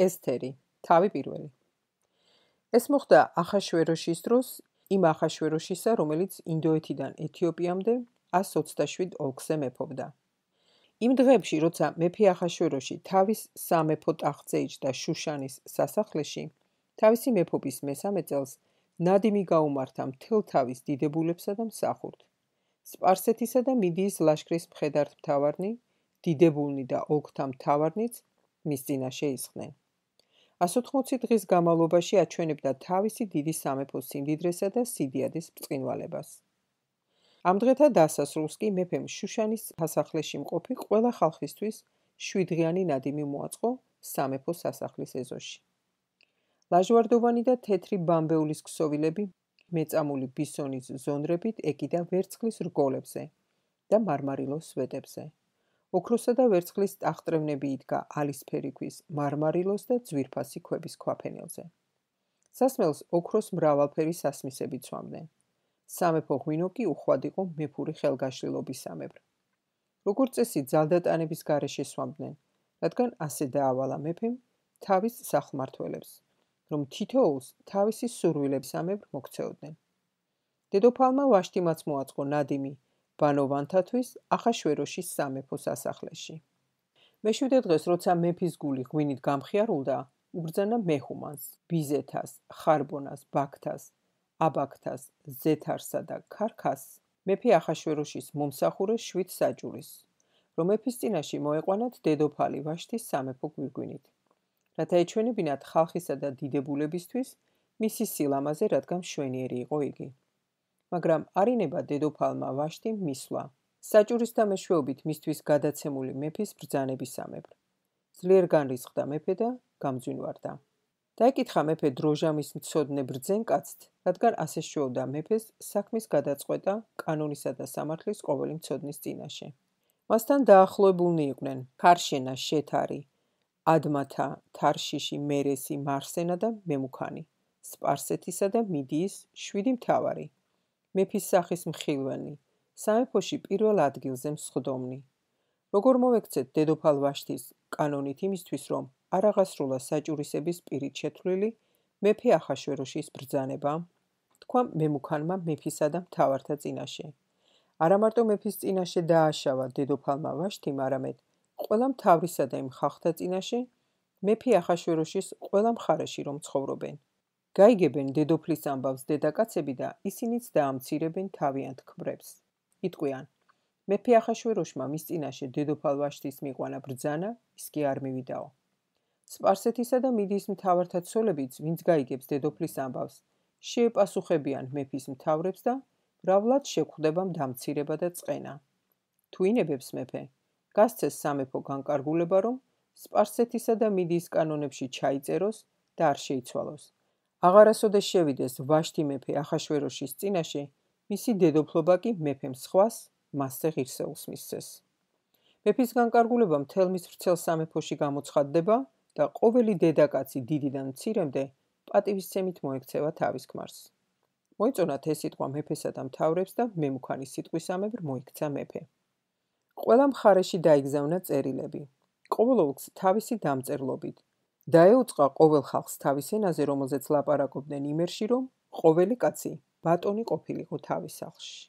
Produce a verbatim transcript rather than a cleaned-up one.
ესთერი, თავი პირველი. ეს მოხდა ახაშვეროშის დროს, იმ ახაშვეროშისა, რომელიც ინდოეთიდან ეთიოპიამდე ას ოცდაშვიდ ოლქზე მეფობდა. იმ დღეებში, როცა მეფე ახაშვეროში თავის სამეფო ტახტზე იჯდა შუშანის სასახლეში, თავისი მეფობის მესამე წელს ნადიმი გაუმართა მთელ თავის დიდებულებსა და მსახურთ. სპარსეთისა და მიდიის ლაშქრის მხედართმთავარნი, დიდებულნი და ოლქთა მთავარნიც მის წინაშე ისხდნენ. ასოთხმოცი დღის განმავლობაში აჩვენებდა თავისი დიდი სამეფოს სიმდიდრესა და სიდიადის ბრწყინვალებას. ამ დღეთა დასასრულს კი მეფემ შუშანის სასახლეში მყოფი ყველა ხალხისთვის შვიდდღიანი ნადიმი მოაწყო სამეფო სასახლის ეზოში. ლაჟვარდოვანი და თეთრი ბამბეულის ქსოვილები მეწამული ბისონის ზონდრებით ეკიდა ვერცხლის რგოლებზე და მარმარილოს სვეტებზე. ოქროსა და ვერცხლის ტახტრევნები იდგა ალისფერი ქვის მარმარილოს და ძვირფასი ქვების ქვაფენილზე. სასმელს ოქროს მრავალფერი სასმისები ცვამდნენ. სამეფო ღვინო კი უხვად იყო მეფური ხელგაშლილობისამებრ. როგორც წესი ძალდატანების გარეშე სვამდნენ, რადგან ასე დაავალა მეფემ თავის სახმართველებს, რომ თითოეულს თავისი სურვილებისამებრ მოქცეოდნენ. დედოფალმა ვაშტიმაც მოაწყო ნადიმი ბანოვანთათვის ახაშვეროშის სამეფო სასახლეში. მეშვიდე დღეს, როცა მეფის გული ღვინით გამხიარულდა, უბრძანა მეჰუმანს, ბიზეთას, ხარბონას, ბაქთას, აბაქთას, ზეთარსა და ქარქას, მეფე ახაშვეროშის მომსახურე შვიდ საჭურის, რომ მეფის წინაშე მოეყვანათ დედოფალი ვაშტის სამეფო გვირგვინით, რათა ეჩვენებინათ ხალხისა და დიდებულებისთვის მისი სილამაზე, რადგან მშვენიერი იყო იგი. მაგრამ არინება დედოფალმა ვაშტიმ მისვლა, საჭურისთა მეშვეობით მისთვის გადაცემული მეფის ბრძანებისამებრ. ძლიერ განრისხდა მეფე და გამძვინვარდა. დაეკითხა მეფე დროჟამის მცოდნე ბრძენ კაცთ, რადგან ასე შეობდა მეფეს საქმის გადაწყვეტა კანონისა და სამართლის ყოველი მცოდნის წინაშე. მასთან დაახლოებულნი იყვნენ ქარშენა, შეთარი, ადმათა, თარშიში, მერესი, მარსენა და მემუქანი, სპარსეთისა და მიდიის შვიდი მთავარი, მეფის სახის მხილველი, სამეფოში პირველ ადგილზე მსხდომნი. როგორ მოვექცეთ დედოფალ ვაშტის კანონით იმისთვის, რომ არ აღასრულა საჭურისების პირით შეთვლილი მეფე ახაშვეროშის ბრძანება, თქვა მემუქანმა მეფისა და მთავართა წინაშე. არა მარტო მეფის წინაშე დააშავა დედოფალმა ვაშტიმ, არამედ ყველა მთავრისა და იმ ხალხთა წინაშე მეფე ახაშვეროშის ყველა მხარეში რომ ცხოვრობენ. გაიგებენ დედოფლის ამბავს დედაკაცები და ისინიც დაამცირებენ თავიანთ ქმრებს. იტყვიან, მეფე ახაშვეროშმა მის წინაშე დედოფალ ვაშტის მიყვანა ბრძანა, ის კი არ მივიდაო. სპარსეთისა და მიდიის მთავართა ცოლებიც, ვინც გაიგებს დედოფლის ამბავს, შეეპასუხებიან მეფის მთავრებს და მრავლად შეგვხვდება დამცირება და წყენა. თუ ინებებს მეფე, გასცეს სამეფო განკარგულება, რომ სპარსეთისა და მიდიის კანონებში ჩაიწეროს და არ შეიცვალოს. აღარასოდეს შევიდეს ვაშტი მეფე ახაშვეროშის წინაშე, მისი დედოფლობა კი მეფემ სხვას მასზე ღირსეულს მისცეს. მეფის განკარგულება მთელ მის ვრცელ სამეფოში გამოცხადდება და ყოველი დედაკაცი დიდიდან მცირემდე პატივისცემით მოექცევა თავის ქმარს. მოიწონათ ეს სიტყვა მეფესა და მთავრებს და მემუქანის სიტყვისამებრ მოიქცა მეფე. ყველა მხარეში დაიგზავნა წერილები, ყოველ ოლქს თავისი დამწერლობით. დაეუწყა ყოველ ხალხს თავის ენაზე, რომელზეც ლაპარაკობდნენ იმერში, რომ ყოველი კაცი ბატონი ყოფილიყო თავის სახლში.